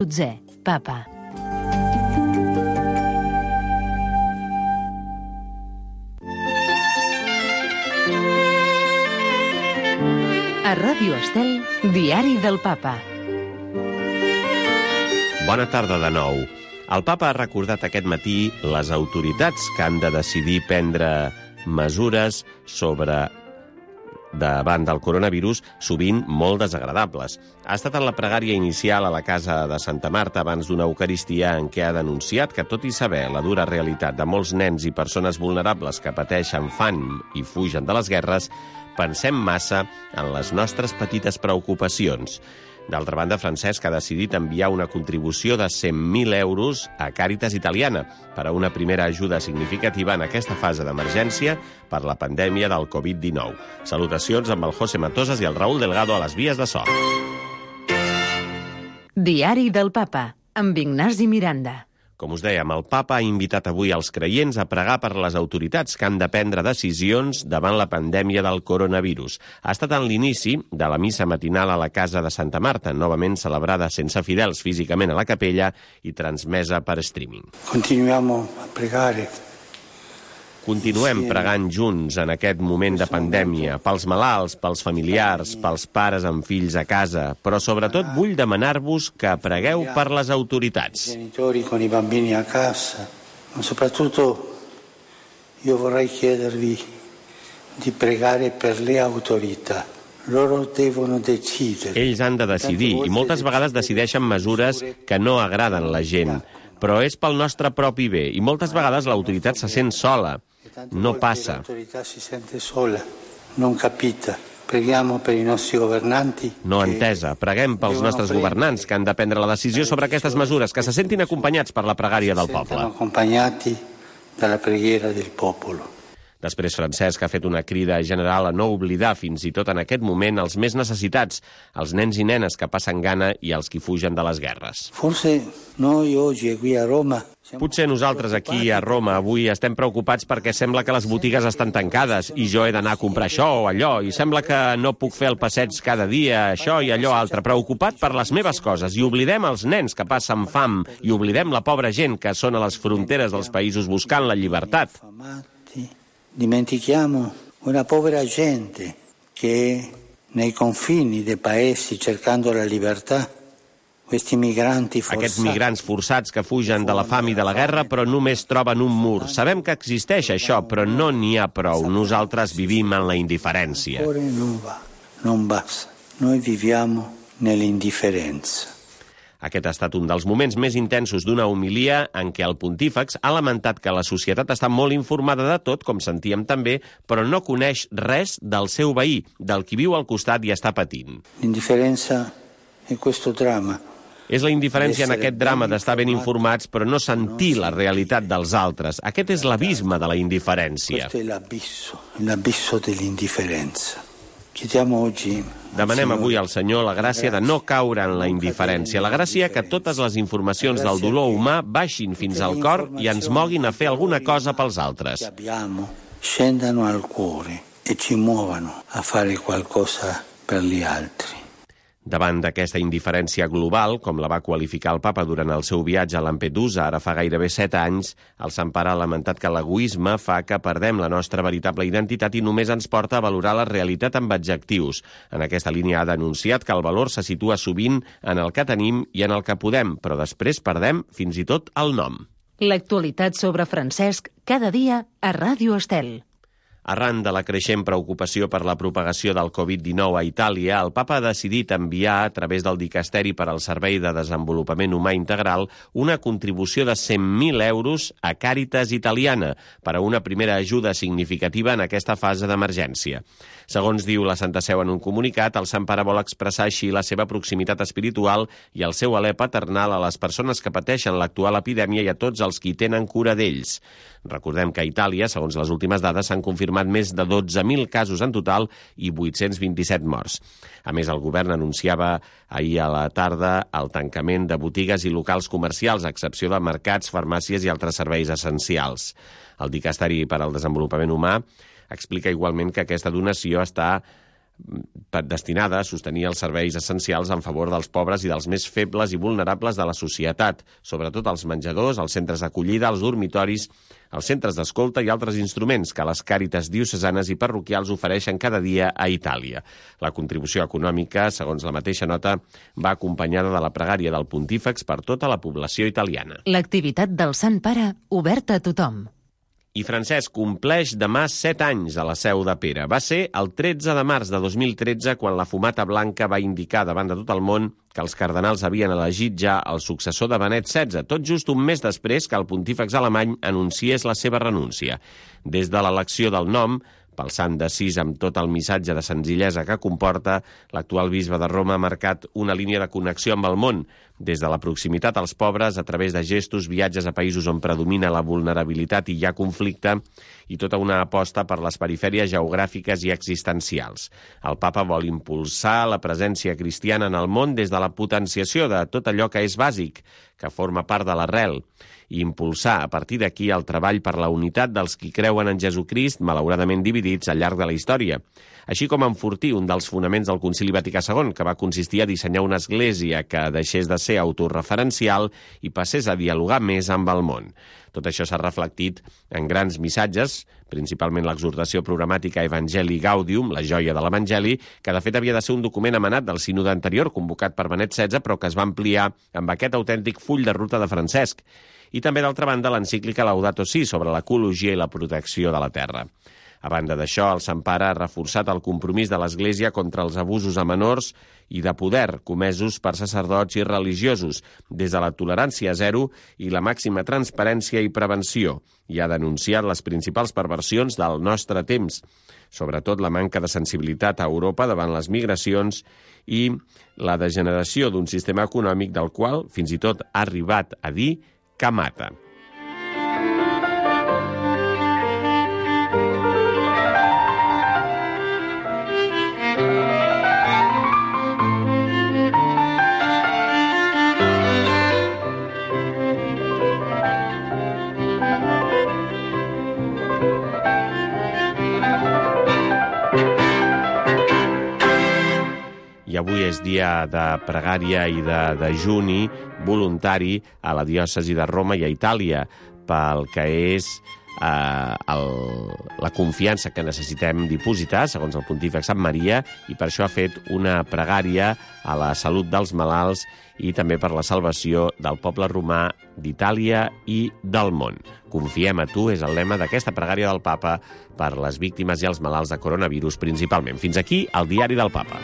12è, Papa. A Ràdio Estel, Diari del Papa. Bona tarda de nou. El Papa ha recordat aquest matí les autoritats que han de decidir prendre mesures davant del coronavirus, sovint molt desagradables. Ha estat en la pregària inicial a la casa de Santa Marta abans d'una Eucaristia en què ha denunciat que, tot i saber la dura realitat de molts nens i persones vulnerables que pateixen fam i fugen de les guerres, pensem massa en les nostres petites preocupacions. D'altra banda, Francesc ha decidit enviar una contribució de 100.000 euros a Càritas Italiana per a una primera ajuda significativa en aquesta fase d'emergència per la pandèmia del Covid-19. Salutacions amb el José Matosas i el Raúl Delgado a les vies de so. Diari del Papa, amb Ignasi Miranda. Com us dèiem, el Papa ha invitat avui els creients a pregar per les autoritats que han de prendre decisions davant la pandèmia del coronavirus. Ha estat en l'inici de la missa matinal a la casa de Santa Marta, novament celebrada sense fidels físicament a la capella i transmesa per streaming. Continuem pregant junts en aquest moment de pandèmia, pels malalts, pels familiars, pels pares amb fills a casa, però sobretot vull demanar-vos que pregueu per les autoritats. Genitori con i bambini a casa, ma soprattutto io vorrei chiedervi di pregare per le autorità. Loro devono decidere. Ells han de decidir i moltes vegades decideixen mesures que no agraden a la gent, però és pel nostre propi bé i moltes vegades l'autoritat se sent sola. No passa. L'autorità si sente sola, non capita. Preghiamo per i nostri governanti. No entesa. Preguem pels nostres governants que han de prendre la decisió sobre aquestes mesures, que se sentin acompanyats per la pregària del poble. Acompanyati dalla preghiera del popolo. Després, Francesc ha fet una crida general a no oblidar fins i tot en aquest moment els més necessitats, els nens i nenes que passen gana i els qui fugen de les guerres. Potser nosaltres aquí a Roma avui estem preocupats perquè sembla que les botigues estan tancades i jo he d'anar a comprar això o allò i sembla que no puc fer el passeig cada dia, això i allò altre. Preocupat per les meves coses i oblidem els nens que passen fam i oblidem la pobra gent que són a les fronteres dels països buscant la llibertat. Dimentichiamo una povera gente che nei confini dei paesi cercando la libertà. Aquests migrants forçats que fugen de la fam i de la guerra però només troben un mur. Sabem que existeix això, però no n'hi ha prou. Nosaltres vivim en la indiferència. Non basta. Noi viviamo nell'indifferenza. Aquest ha estat un dels moments més intensos d'una homilia en què el pontífex ha lamentat que la societat està molt informada de tot, com sentíem també, però no coneix res del seu veí, del qui viu al costat i està patint. L'indiferenza è questo dramma. És la indiferència en aquest drama d'estar ben informats però no sentir la realitat dels altres. Aquest és l'abisme de la indiferència. Questo è l'abisso dell'indifferenza. Chiediamo oggi. Demanem avui al Senyor la gràcia de no caure en la indiferència, la gràcia que totes les informacions del dolor humà baixin fins al cor i ens moguin a fer alguna cosa pels altres. Scendano al cuore e ci muovano a fare qualcosa per gli altri. Davant d'aquesta indiferència global, com la va qualificar el Papa durant el seu viatge a Lampedusa ara fa gairebé 7 anys, el Sant Pare ha lamentat que l'egoisme fa que perdem la nostra veritable identitat i només ens porta a valorar la realitat amb adjectius. En aquesta línia ha denunciat que el valor se situa sovint en el que tenim i en el que podem, però després perdem fins i tot el nom. L'actualitat sobre Francesc cada dia a Ràdio Estel. Arran de la creixent preocupació per la propagació del Covid-19 a Itàlia, el Papa ha decidit enviar, a través del Dicasteri per al Servei de Desenvolupament Humà Integral, una contribució de 100.000 euros a Càritas Italiana per a una primera ajuda significativa en aquesta fase d'emergència. Segons diu la Santa Seu en un comunicat, el Sant Pare vol expressar així la seva proximitat espiritual i el seu alè paternal a les persones que pateixen l'actual epidèmia i a tots els qui tenen cura d'ells. Recordem que a Itàlia, segons les últimes dades, s'han confirmat més de 12.000 casos en total i 827 morts. A més, el govern anunciava ahir a la tarda el tancament de botigues i locals comercials, a excepció de mercats, farmàcies i altres serveis essencials. El Dicasteri per al Desenvolupament Humà explica igualment que aquesta donació està destinada a sostenir els serveis essencials en favor dels pobres i dels més febles i vulnerables de la societat, sobretot els menjadors, els centres d'acollida, els dormitoris, els centres d'escolta i altres instruments que les càritas diocesanes i parroquials ofereixen cada dia a Itàlia. La contribució econòmica, segons la mateixa nota, va acompanyada de la pregària del Pontífex per tota la població italiana. L'activitat del Sant Pare oberta a tothom. I Francesc compleix demà 7 anys a la Seu de Pere. Va ser el 13 de març de 2013 quan la fumata blanca va indicar davant de tot el món que els cardenals havien elegit ja el successor de Benet XVI, tot just un mes després que el pontífex alemany anunciés la seva renúncia. Des de l'elecció del nom, pel sant d'Assís amb tot el missatge de senzillesa que comporta, l'actual bisbe de Roma ha marcat una línia de connexió amb el món, des de la proximitat als pobres a través de gestos, viatges a països on predomina la vulnerabilitat i hi ha conflicte, i tota una aposta per les perifèries geogràfiques i existencials. El papa vol impulsar la presència cristiana en el món des de la potenciació de tot allò que és bàsic, que forma part de l'arrel, i impulsar a partir d'aquí el treball per la unitat dels qui creuen en Jesucrist, malauradament dividits al llarg de la història, així com enfortir un dels fonaments del Concili Vaticà II, que va consistir a dissenyar una església que deixés de ser autorreferencial i passés a dialogar més amb el món. Tot això s'ha reflectit en grans missatges, principalment l'exhortació programàtica Evangelii Gaudium, la joia de l'Evangeli, que de fet havia de ser un document emanat del sínode anterior, convocat per Benet XVI, però que es va ampliar amb aquest autèntic full de ruta de Francesc. I també, d'altra banda, l'encíclica Laudato Si sobre l'ecologia i la protecció de la terra. A banda d'això, el Sant Pare ha reforçat el compromís de l'Església contra els abusos a menors i de poder comesos per sacerdots i religiosos, des de la tolerància zero i la màxima transparència i prevenció, i ha denunciat les principals perversions del nostre temps, sobretot la manca de sensibilitat a Europa davant les migracions i la degeneració d'un sistema econòmic del qual fins i tot ha arribat a dir que mata. I avui és dia de pregària i de dejuni voluntari a la diòcesi de Roma i a Itàlia pel que és la confiança que necessitem dipositar, segons el pontífex Sant Maria, i per això ha fet una pregària a la salut dels malalts i també per la salvació del poble romà d'Itàlia i del món. Confiem a tu és el lema d'aquesta pregària del papa per les víctimes i els malalts de coronavirus principalment. Fins aquí el diari del papa.